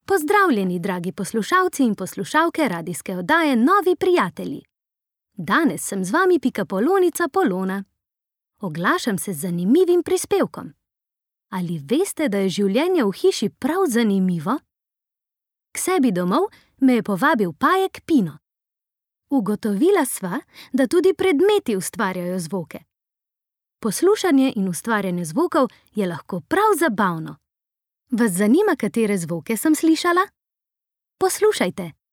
Pozdravljeni, dragi poslušalci in poslušalke radijske oddaje Novi prijatelji. Danes sem z vami Pikapolonica Polona. Oglašam se z zanimivim prispevkom. Ali veste, da je življenje v hiši prav zanimivo? K sebi domov me je povabil pajek Pino. Ugotovila sva, da tudi predmeti ustvarjajo zvoke. Poslušanje in ustvarjanje zvokov je lahko prav zabavno. Vas zanima, katere zvoke sem slišala? Poslušajte!